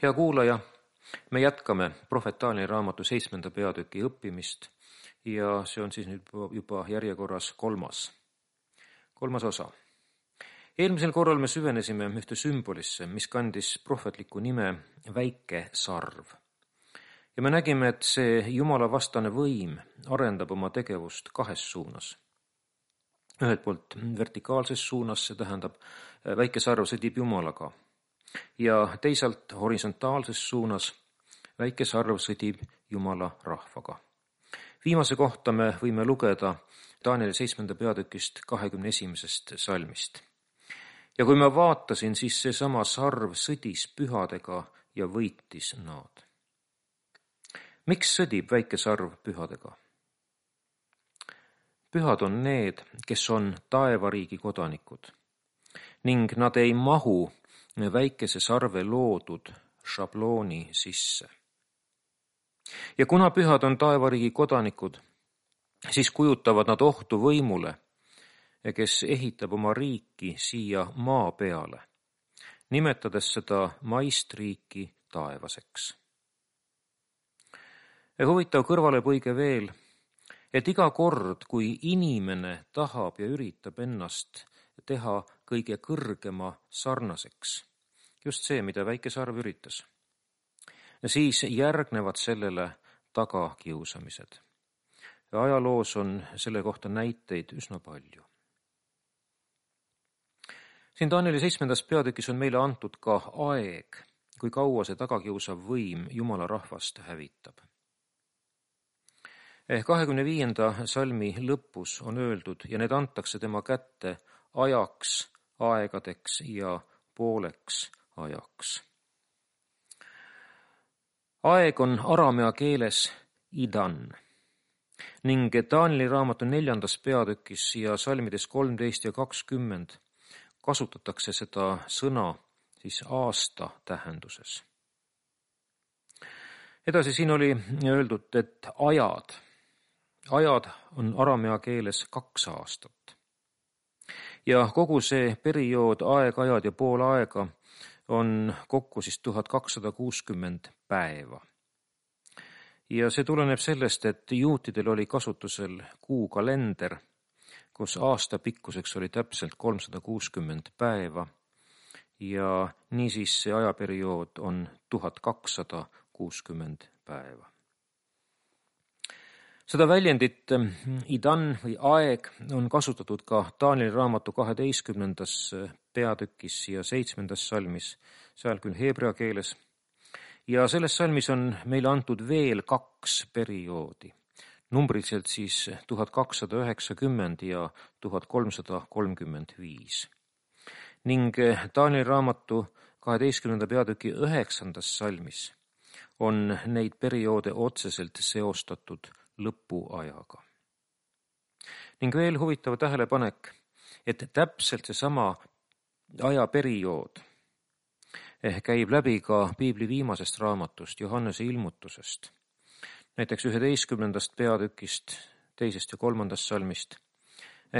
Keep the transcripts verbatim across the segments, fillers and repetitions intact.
Hea kuulaja, me jätkame prohvet Taanieli raamatu seitsmenda peatüki õppimist ja see on siis nüüd juba järjekorras kolmas, kolmas osa. Eelmisel korral me süvenesime ühte sümbolisse, mis kandis prohvetlikku nime väike sarv. Ja me nägime, et see Jumala vastane võim arendab oma tegevust kahes suunas. Ühelt poolt vertikaalses suunas, see tähendab, väike sarv sõdib Jumalaga. Ja teisalt horisontaalses suunas väike sarv sõdib Jumala rahvaga. Viimase kohta me võime lugeda Taanieli seitsmenda peatükist kahekümne esimesest salmist. Ja kui ma vaatasin, siis seesama sarv sõdis pühadega ja võitis nad. Miks sõdib väike sarv pühadega? Pühad on need, kes on taevariigi kodanikud ning nad ei mahu väikese sarve loodud šablooni sisse. Ja kuna pühad on taevariigi kodanikud, siis kujutavad nad ohtu võimule, kes ehitab oma riiki siia maa peale, nimetades seda maist riiki taevaseks. Ja huvitav kõrvalepõige veel, et iga kord, kui inimene tahab ja üritab ennast teha kõige kõrgema sarnaseks, just see, mida väike sarv üritas, siis järgnevad sellele tagakiusamised. Ja ajaloos on selle kohta näiteid üsna palju. Siin Taanieli seitsmendas peatükis on meile antud ka aeg, kui kaua see tagakiusav võim Jumala rahvast hävitab. kahekümne viienda salmi lõpus on öeldud ja need antakse tema kätte ajaks, aegadeks ja pooleks ajaks. Aeg on aramea keeles idan ning Taanieli raamatu neljandas peatükis ja salmides kolmteist ja kakskümmend kasutatakse seda sõna siis aasta tähenduses. Edasi siin oli öeldud, et ajad, ajad on aramea keeles kaks aastat. Ja kogu see periood, aeg, ajad ja pool aega on kokku siis tuhat kakssada kuuskümmend päeva. Ja see tuleneb sellest, et juutidel oli kasutusel kuukalender, kus aasta pikkuseks oli täpselt kolmsada kuuskümmend päeva ja niisiis see ajaperiood on tuhat kakssada kuuskümmend päeva. Seda väljendit idan või aeg on kasutatud ka Taanieli raamatu kaheteistkümnendas peatükis ja seitsmendas salmis, seal küll heebrea keeles. Ja selles salmis on meile antud veel kaks perioodi, numbriliselt siis tuhat kakssada üheksakümmend ja tuhat kolmsada kolmkümmend viis. Ning Taanieli raamatu kaheteistkümnenda peatüki üheksandas salmis on neid perioode otseselt seostatud lõpuajaga. Ning veel huvitav tähelepanek, et täpselt seesama ajaperiood käib läbi ka piibli viimasest raamatust, Johannese ilmutusest. Näiteks üheteistkümnendast peatükist, teisest ja kolmandast salmist,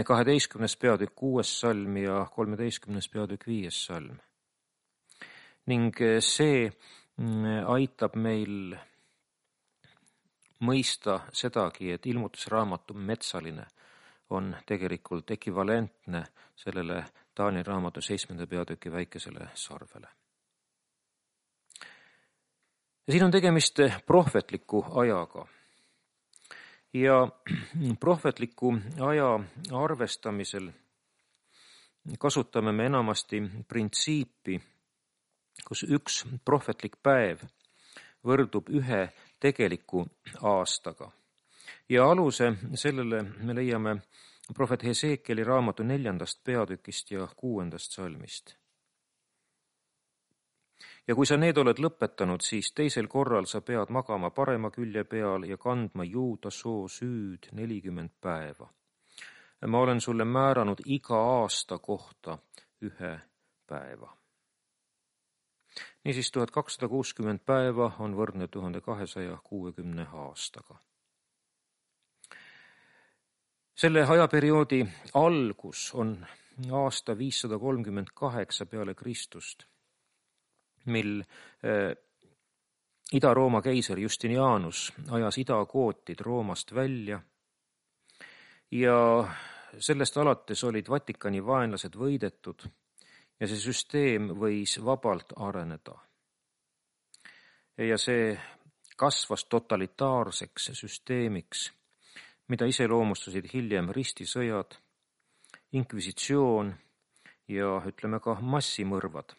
kaheteistkümnes peatükk kuues salm ja kolmeteistkümnes peatükk viies salm. Ning see aitab meil mõista sedagi, et ilmutusraamatu metsaline on tegelikult ekvivalentne sellele Taanieli raamatu seitsmenda peatüki väikesele sarvele. Ja siin on tegemist prohvetliku ajaga. Ja prohvetliku aja arvestamisel kasutame me enamasti printsiipi, kus üks prohvetlik päev võrdub ühe tegeliku aastaga. Ja aluse sellele me leiame prohvet Hesekieli raamatu neljandast peatükist ja kuuendast salmist. Ja kui sa need oled lõpetanud, siis teisel korral sa pead magama parema külje peal ja kandma juuda soo süüd nelikümmend päeva. Ma olen sulle määranud iga aasta kohta ühe päeva. Niisiis tuhat kakssada kuuskümmend päeva on võrdne tuhande kahesaja kuuekümne aastaga. Selle ajaperioodi algus on aasta viissada kolmkümmend kaheksa peale Kristust, mil Ida-Rooma keiser Justinianus ajas idakootid Roomast välja ja sellest alates olid Vatikani vaenlased võidetud ja see süsteem võis vabalt areneda. Ja see kasvas totalitaarseks süsteemiks, mida iseloomustasid hiljem ristisõjad, inkvisitsioon ja ütleme ka massimõrvad.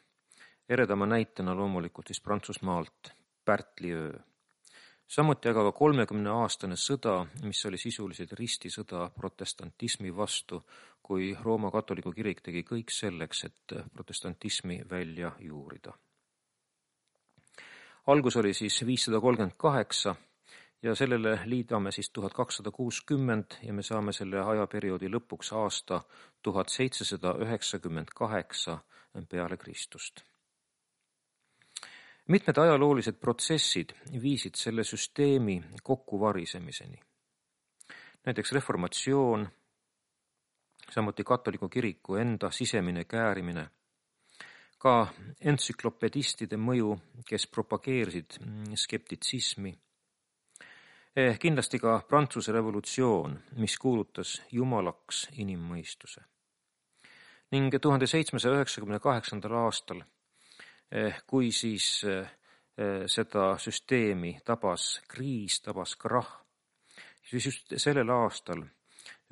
Eredama näitena loomulikult siis Prantsusmaalt Pärtliöö. Samuti aga ka kolmekümne aastane sõda, mis oli sisuliselt ristisõda protestantismi vastu, kui Rooma katoliku kirik tegi kõik selleks, et protestantismi välja juurida. Algus oli siis viissada kolmkümmend kaheksa ja sellele liidame siis tuhat kakssada kuuskümmend ja me saame selle ajaperioodi lõpuks aasta tuhat seitsesada üheksakümmend kaheksa peale Kristust. Mitmed ajaloolised protsessid viisid selle süsteemi kokkuvarisemiseni. Näiteks reformatsioon, samuti katoliku kiriku enda sisemine käärimine, ka entsüklopedistide mõju, kes propageerisid skeptitsismi, kindlasti ka Prantsuse revolutsioon, mis kuulutas jumalaks inimmõistuse. Ning tuhande seitsmesaja üheksakümne kaheksandal aastal, kui siis seda süsteemi tabas kriis, tabas krahh, siis just sellel aastal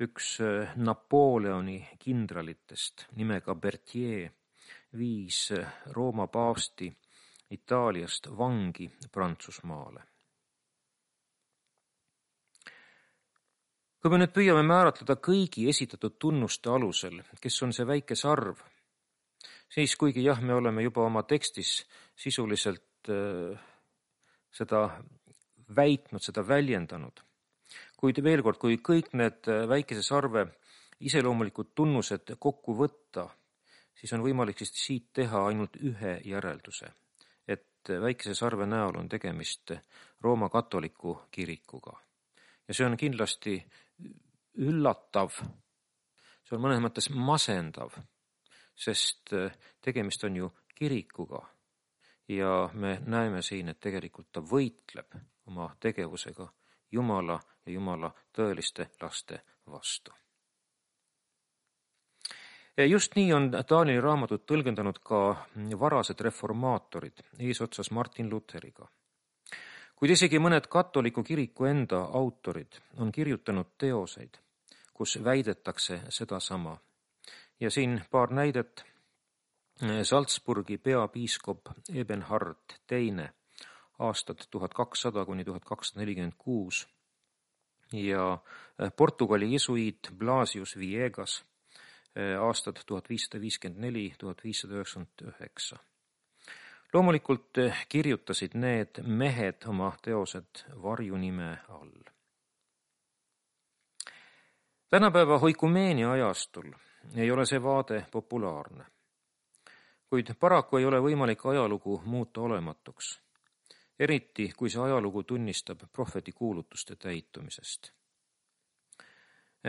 üks Napoleoni kindralitest nimega Berthier viis Rooma paavsti Itaaliast vangi Prantsusmaale. Kui me nüüd püüame määratleda kõigi esitatud tunnuste alusel, kes on see väike sarv, siis kuigi jah, me oleme juba oma tekstis sisuliselt äh, seda väitnud, seda väljendanud, kuid veel kord, kui kõik need väikese sarve iseloomulikud tunnused kokku võtta, siis on võimalik siis siit teha ainult ühe järelduse, et väikese sarve näol on tegemist Rooma katoliku kirikuga. Ja see on kindlasti üllatav, see on mõnes mõttes masendav, sest tegemist on ju kirikuga ja me näeme siin, et tegelikult ta võitleb oma tegevusega Jumala ja Jumala tõeliste laste vastu. Just nii on Danieli raamatut tõlgendanud ka varased reformaatorid eesotsas Martin Lutheriga. Kuid isegi mõned katoliku kiriku enda autorid on kirjutanud teoseid, kus väidetakse sedasama. Ja siin paar näidet. Salzburgi peapiiskop Ebenhard teine aastad tuhat kakssada kuni tuhat kakssada nelikümmend kuus ja Portugali jesuiit Blasius Villegas aastad tuhat viissada viiskümmend neli kuni tuhat viissada üheksakümmend üheksa. Loomulikult kirjutasid need mehed oma teosed varjunime all. Tänapäeva oikumeenia ajastul ei ole see vaade populaarne, kuid paraku ei ole võimalik ajalugu muuta olematuks, eriti kui see ajalugu tunnistab prohveti kuulutuste täitumisest.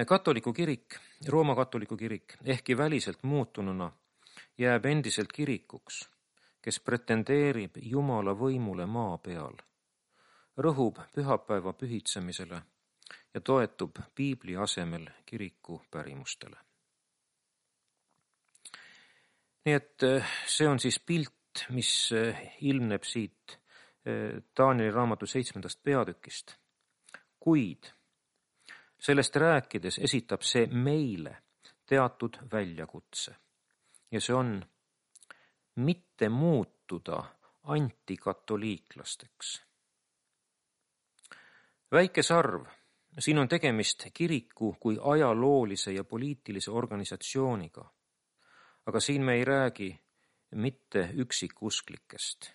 Katoliku kirik, Rooma katoliku kirik, ehkki väliselt muutununa, jääb endiselt kirikuks, kes pretendeerib Jumala võimule maa peal, rõhub pühapäeva pühitsemisele ja toetub piibli asemel kiriku pärimustele. Nii et see on siis pilt, mis ilmneb siit Danieli raamatu seitsmendast peatükist. Kuid sellest rääkides esitab see meile teatud väljakutse ja see on mitte muutuda antikatoliiklasteks. Väike sarv, siin on tegemist kiriku kui ajaloolise ja poliitilise organisatsiooniga, aga siin me ei räägi mitte üksikusklikest.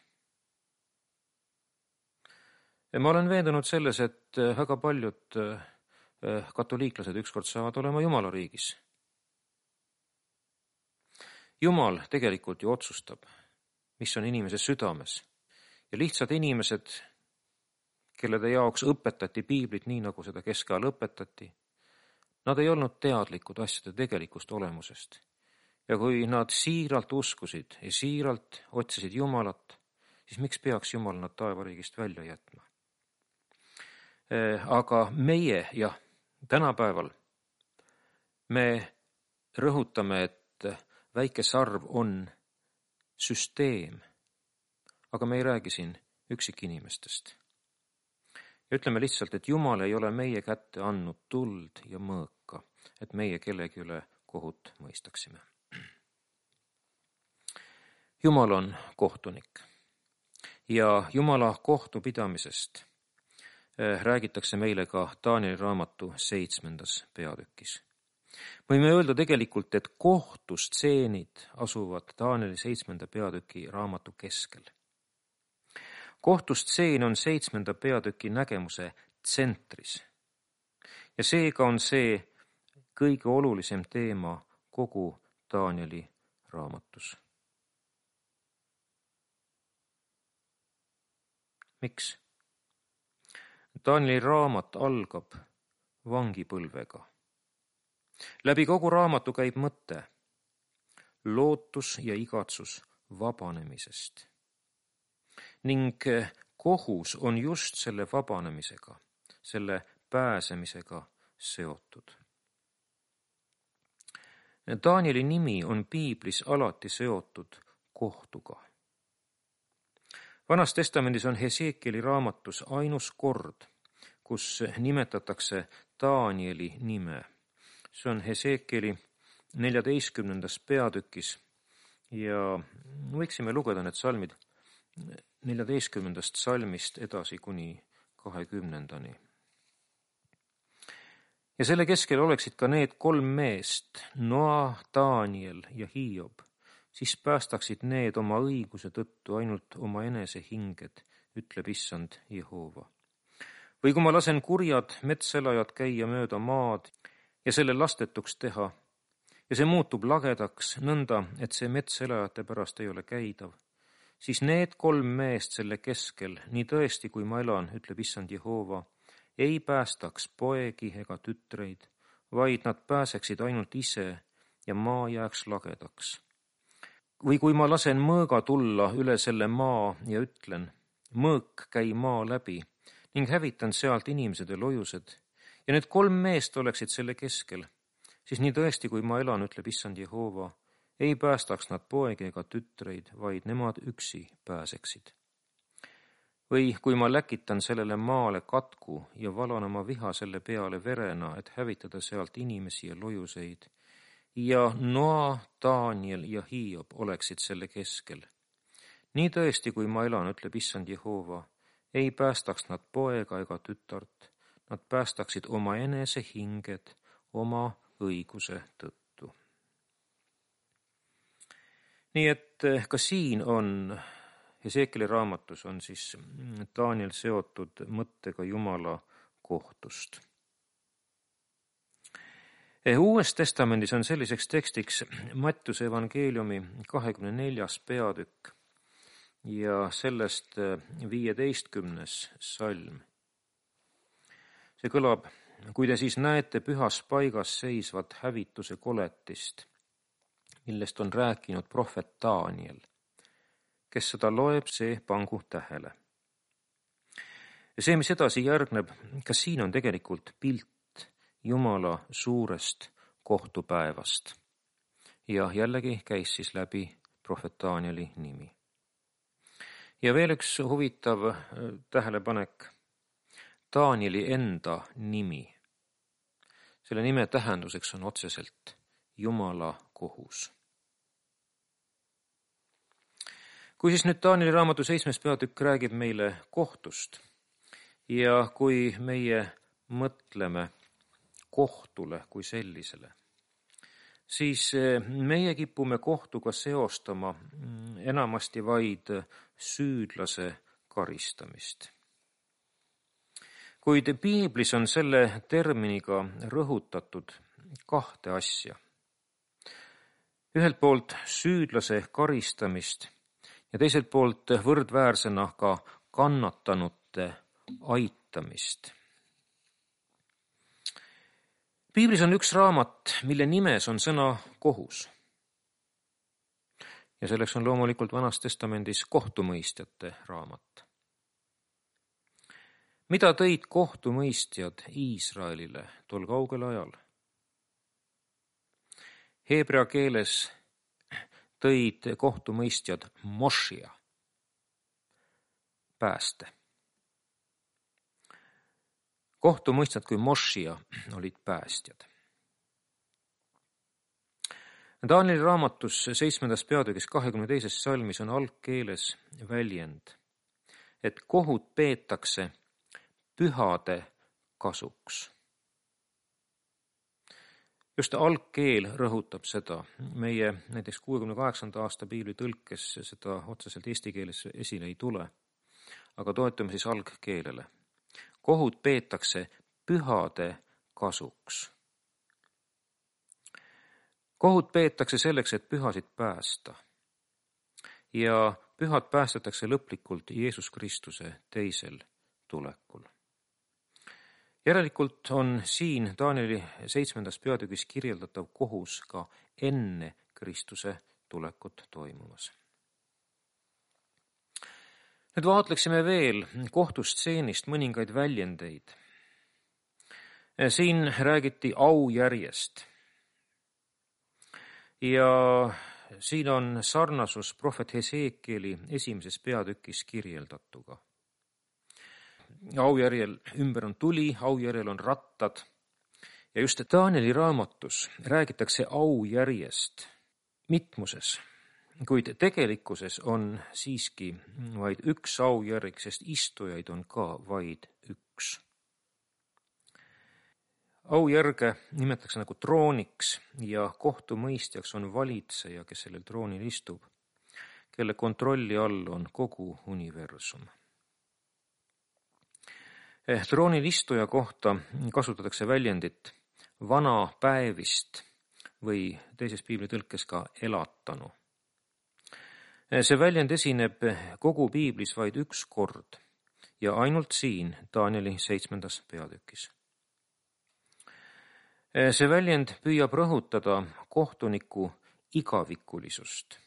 Ma olen veendunud selles, et väga paljud katoliiklased ükskord saavad olema Jumala riigis. Jumal tegelikult ju otsustab, mis on inimese südames. Ja lihtsad inimesed, kellede jaoks õpetati piiblit nii, nagu seda keskajal õpetati, nad ei olnud teadlikud asjade tegelikust olemusest. Ja kui nad siiralt uskusid ja siiralt otsisid Jumalat, siis miks peaks Jumal nad taevariigist välja jätma? Aga meie, jah, tänapäeval me rõhutame, et väike sarv on süsteem, aga me ei räägi siin üksikinimestest. Ja ütleme lihtsalt, et Jumal ei ole meie kätte andnud tuld ja mõõka, et meie kellegi üle kohut mõistaksime. Jumal on kohtunik ja Jumala kohtupidamisest räägitakse meile ka Taanieli raamatu seitsmendas peatükis. Võime öelda tegelikult, et kohtustseenid asuvad Taanieli seitsmenda peatüki raamatu keskel. Kohtustseen on seitsmenda peatüki nägemuse tsentris ja seega on see kõige olulisem teema kogu Taanieli raamatus. Miks? Taanieli raamat algab vangipõlvega. Läbi kogu raamatu käib mõte, lootus ja igatsus vabanemisest. Ning kohus on just selle vabanemisega, selle pääsemisega seotud. Taanieli nimi on piiblis alati seotud kohtuga. Vanas testamendis on Hesekieli raamatus ainus kord, kus nimetatakse Taanieli nime. See on Hesekieli neljateistkümnendas peatükis ja võiksime lugeda need salmid neljateistkümnendast salmist edasi kuni kahekümnendani. Ja selle keskel oleksid ka need kolm meest, Noa, Taaniel ja Hiob, siis päästaksid need oma õiguse tõttu ainult oma enese hinged, ütleb issand Jehova. Või kui ma lasen kurjad metselajad käia mööda maad ja selle lastetuks teha, ja see muutub lagedaks nõnda, et see metselajate pärast ei ole käidav, siis need kolm meest selle keskel, nii tõesti kui ma elan, ütleb issand Jehova, ei päästaks poegi ega tütreid, vaid nad pääseksid ainult ise ja maa jääks lagedaks. Või kui ma lasen mõõga tulla üle selle maa ja ütlen, mõõk käi maa läbi ning hävitan sealt inimesed ja lojused, ja need kolm meest oleksid selle keskel, siis nii tõesti kui ma elan, ütleb issand Jehova, ei päästaks nad poegi ega tütreid, vaid nemad üksi pääseksid. Või kui ma läkitan sellele maale katku ja valan oma viha selle peale verena, et hävitada sealt inimesi ja lojuseid, ja Noa, Taaniel ja Hiob oleksid selle keskel. Nii tõesti, kui ma elan, ütleb issand Jehova, ei päästaks nad poega ega tütart, nad päästaksid oma enese hinged oma õiguse tõttu. Nii et ka siin on Hesekieli raamatus on siis Taaniel seotud mõttega Jumala kohtust. Uues testamendis on selliseks tekstiks Mattiuse evangeeliumi kahekümne neljas peatükk ja sellest viieteistkümnes salm. See kõlab, kui te siis näete pühas paigas seisvat hävituse koletist, millest on rääkinud prohvet Taaniel, kes seda loeb, see pangu tähele. Ja see, mis edasi järgneb, kas siin on tegelikult pilt Jumala suurest kohtupäevast. Ja jällegi käis siis läbi prohvet Taanieli nimi. Ja veel üks huvitav tähelepanek, Taanieli enda nimi. Selle nime tähenduseks on otseselt Jumala kohus. Kui siis nüüd Taanieli raamatu seitsmes peatükk räägib meile kohtust ja kui meie mõtleme kohtule kui sellisele, siis meie kipume kohtuga seostama enamasti vaid süüdlase karistamist. Kuid piiblis on selle terminiga rõhutatud kahte asja. Ühelt poolt süüdlase karistamist ja teiselt poolt võrdväärsena ka kannatanute aitamist. Piiblis on üks raamat, mille nimes on sõna kohus. ja selleks on loomulikult Vanas Testamendis kohtumõistjate raamat. Mida tõid kohtumõistjad Iisraelile tol kaugel ajal? Heebrea keeles tõid kohtumõistjad Mošia, pääste. Kohtumõistjad kui Mošia olid päästjad. Danieli raamatus seitsmendas peatükis kahekümne teises salmis on algkeeles väljend, et kohut peetakse pühade kasuks. Just algkeel rõhutab seda. Meie näiteks kuuekümne kaheksanda aasta piibli tõlkes seda otseselt eesti keeles esile ei tule, aga toetume siis algkeelele. Kohut peetakse pühade kasuks. Kohut peetakse selleks, et pühasid päästa. Ja pühad päästetakse lõplikult Jeesus Kristuse teisel tulekul. Järelikult on siin Danieli seitsmendas peatükis kirjeldatav kohus ka enne Kristuse tulekut toimumas. Nüüd vaatleksime veel kohtustseenist mõningaid väljendeid. Siin räägiti aujärjest. Ja siin on sarnasus prohvet Heseekieli esimeses peatükis kirjeldatuga. Aujärjel ümber on tuli, aujärjel on rattad. Ja just Danieli raamatus räägitakse aujärjest mitmuses, kuid tegelikkuses on siiski vaid üks aujärg, sest istujaid on ka vaid üks. Aujärge nimetatakse nagu trooniks ja kohtumõistjaks on valitseja, kes sellel troonil istub, kelle kontrolli all on kogu universum. Troonil istuja kohta kasutatakse väljendit vana päevist või teises piiblitõlkes ka elatanu. See väljend esineb kogu piiblis vaid üks kord ja ainult siin Danieli seitsmendas peatükis. See väljend püüab rõhutada kohtuniku igavikulisust.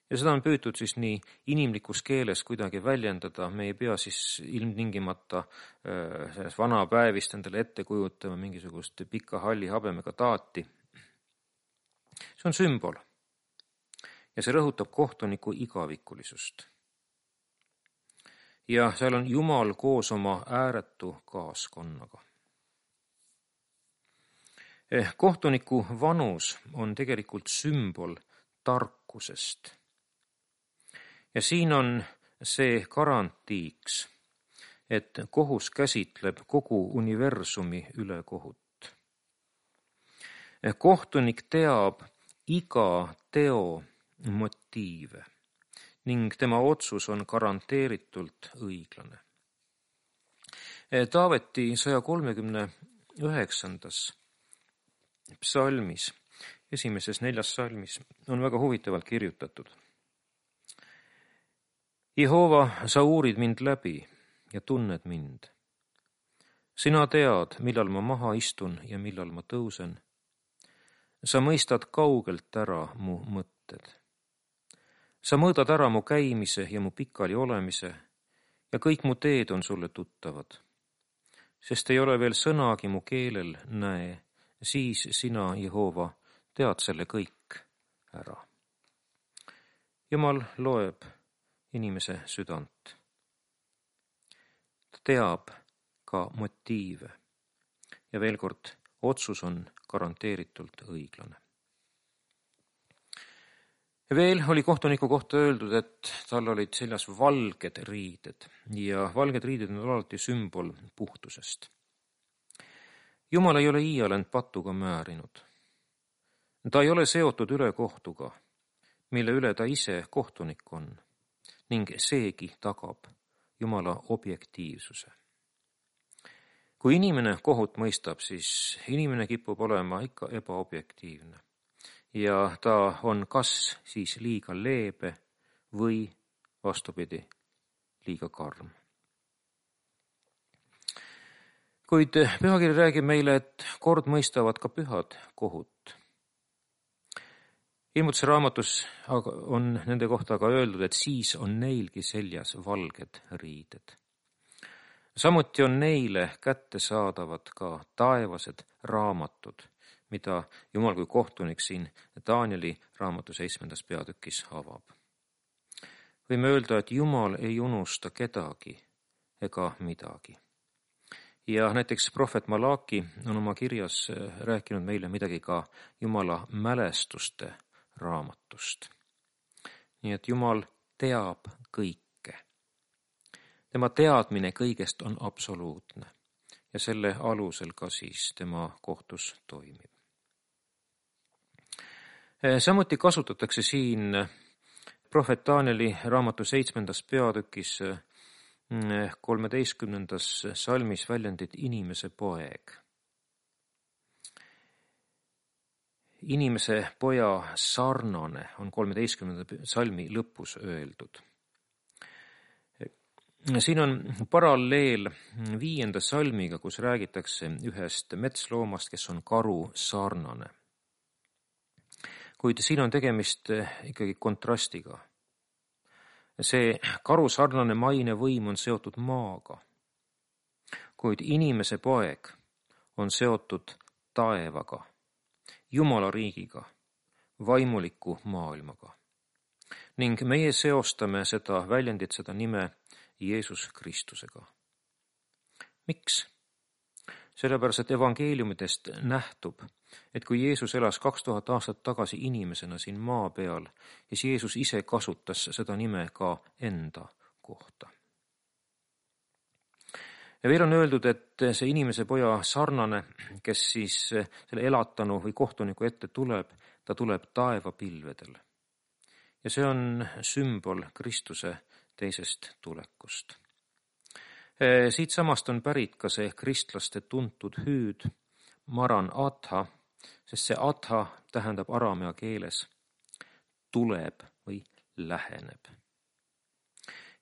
Ja seda on püütud siis nii inimlikus keeles kuidagi väljendada. Me ei pea siis ilmtingimata selles vana päevist endale ette kujutama mingisugust pika halli habemega taati. See on sümbol. Ja see rõhutab kohtuniku igavikulisust. Ja seal on Jumal koos oma ääretu kaaskonnaga. Kohtuniku vanus on tegelikult sümbol tarkusest. Ja siin on see garantiiks, et kohus käsitleb kogu universumi üle kohut. Kohtunik teab iga teo motiive ning tema otsus on garanteeritult õiglane. Taaveti saja kolmekümne üheksandas psalmis, esimeses neljas salmis, on väga huvitavalt kirjutatud. Jehova, sa uurid mind läbi ja tunned mind. Sina tead, millal ma maha istun ja millal ma tõusen. Sa mõistad kaugelt ära mu mõtted. Sa mõõdad ära mu käimise ja mu pikali olemise ja kõik mu teed on sulle tuttavad. Sest ei ole veel sõnagi mu keelel näe, siis sina, Jehova, tead selle kõik ära. Jumal loeb inimese südant. Ta teab ka motiive ja veel kord, otsus on garanteeritult õiglane. Ja veel oli kohtuniku kohta öeldud, et tal olid seljas valged riided ja valged riided on alati sümbol puhtusest. Jumal ei ole iial end patuga määrinud. Ta ei ole seotud ülekohtuga, mille üle ta ise kohtunik on ning seegi tagab Jumala objektiivsuse. Kui inimene kohut mõistab, siis inimene kipub olema ikka ebaobjektiivne ja ta on kas siis liiga leebe või vastupidi, liiga karm. Kuid pühakiri räägib meile, et kord mõistavad ka pühad kohut. Ilmutuse raamatus on nende kohta aga öeldud, et siis on neilgi seljas valged riided. Samuti on neile kättesaadavad ka taevased raamatud, mida Jumal kui kohtunik siin Danieli raamatu seitsmendas peatükis avab. Võime öelda, et Jumal ei unusta kedagi ega midagi. Ja näiteks prohvet Malaki on oma kirjas rääkinud meile midagi ka Jumala mälestuste raamatust. Nii et Jumal teab kõike. Tema teadmine kõigest on absoluutne ja selle alusel ka siis tema kohtus toimib. Samuti kasutatakse siin prohvet Danieli raamatu seitsmendas peatükis kolmeteistkümnendas salmis väljendit inimese poeg. Inimese poja sarnane on kolmeteistkümnenda salmi lõpus öeldud. Siin on paralleel viienda salmiga, kus räägitakse ühest metsloomast, kes on karu sarnane. Kuid siin on tegemist ikkagi kontrastiga. See karu sarnane maine võim on seotud maaga, kuid inimese poeg on seotud taevaga, Jumala riigiga, vaimuliku maailmaga. Ning meie seostame seda väljendit, seda nime Jeesus Kristusega. Miks? Sellepärast, et evangeeliumidest nähtub, et kui Jeesus elas kaks tuhat aastat tagasi inimesena siin maa peal, siis Jeesus ise kasutas seda nime ka enda kohta. Ja veel on öeldud, et see inimese poja sarnane, kes siis selle elatanu või kohtuniku ette tuleb, ta tuleb taevapilvedel. Ja see on sümbol Kristuse teisest tulekust. Siit samast on pärit ka see kristlaste tuntud hüüd Maran Atha, sest see Atha tähendab araamea keeles tuleb või läheneb.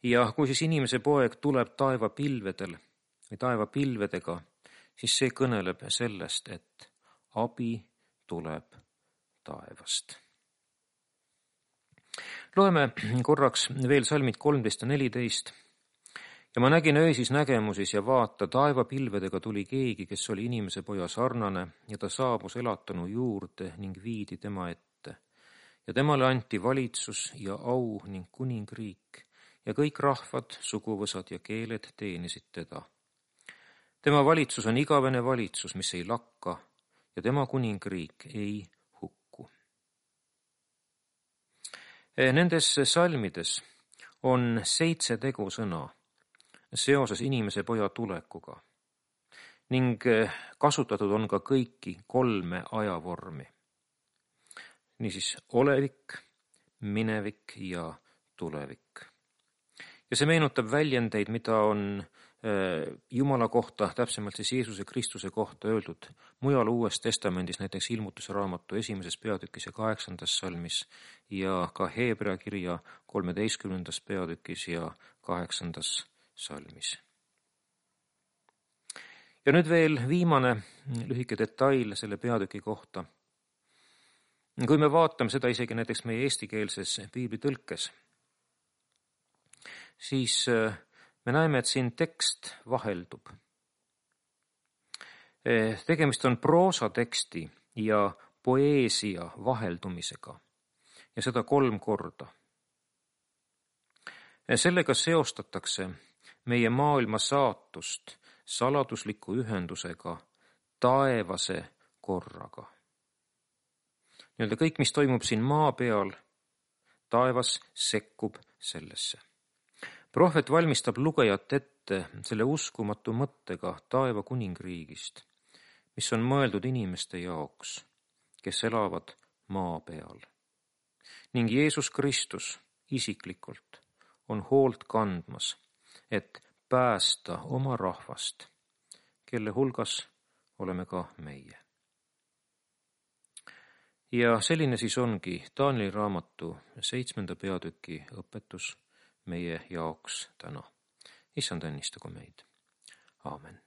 Ja kui siis inimese poeg tuleb taevapilvedel või taevapilvedega, siis see kõneleb sellest, et abi tuleb taevast. Loeme korraks veel salmid kolmteist ja neliteist. Ja ma nägin öösis nägemusis ja vaata, taevapilvedega tuli keegi, kes oli inimese poja sarnane, ja ta saabus elatanu juurde ning viidi tema ette. Ja temale anti valitsus ja au ning kuningriik, ja kõik rahvad, suguvõsad ja keeled teenisid teda. Tema valitsus on igavene valitsus, mis ei lakka, ja tema kuningriik ei hukku. Nendes salmides on seitse tegusõna seoses inimese poja tulekuga ning kasutatud on ka kõiki kolme ajavormi. Niisiis olevik, minevik ja tulevik. Ja see meenutab väljendeid, mida on Jumala kohta, täpsemalt siis Jeesuse Kristuse kohta öeldud mujal Uues Testamendis, näiteks Ilmutuse raamatu esimeses peatükis ja kaheksandas salmis ja ka Heebrea kirja kolmeteistkümnendas peatükis ja kaheksandas salmis. Ja nüüd veel viimane lühike detail selle peatüki kohta. Kui me vaatame seda isegi näiteks meie eestikeelses piiblitõlkes, siis me näeme, et siin tekst vaheldub. Tegemist on proosateksti ja poeesia vaheldumisega ja seda kolm korda. Sellega seostatakse meie maailma saatust saladusliku ühendusega taevase korraga. Nii-öelda kõik, mis toimub siin maa peal, taevas sekkub sellesse. Prohvet valmistab lugejat ette selle uskumatu mõttega taeva kuningriigist, mis on mõeldud inimeste jaoks, kes elavad maa peal. Ning Jeesus Kristus isiklikult on hoolt kandmas, et päästa oma rahvast, kelle hulgas oleme ka meie. Ja selline siis ongi Danieli raamatu seitsmenda peatüki õpetus meie jaoks täna. Issand õnnistagu meid. Aamen.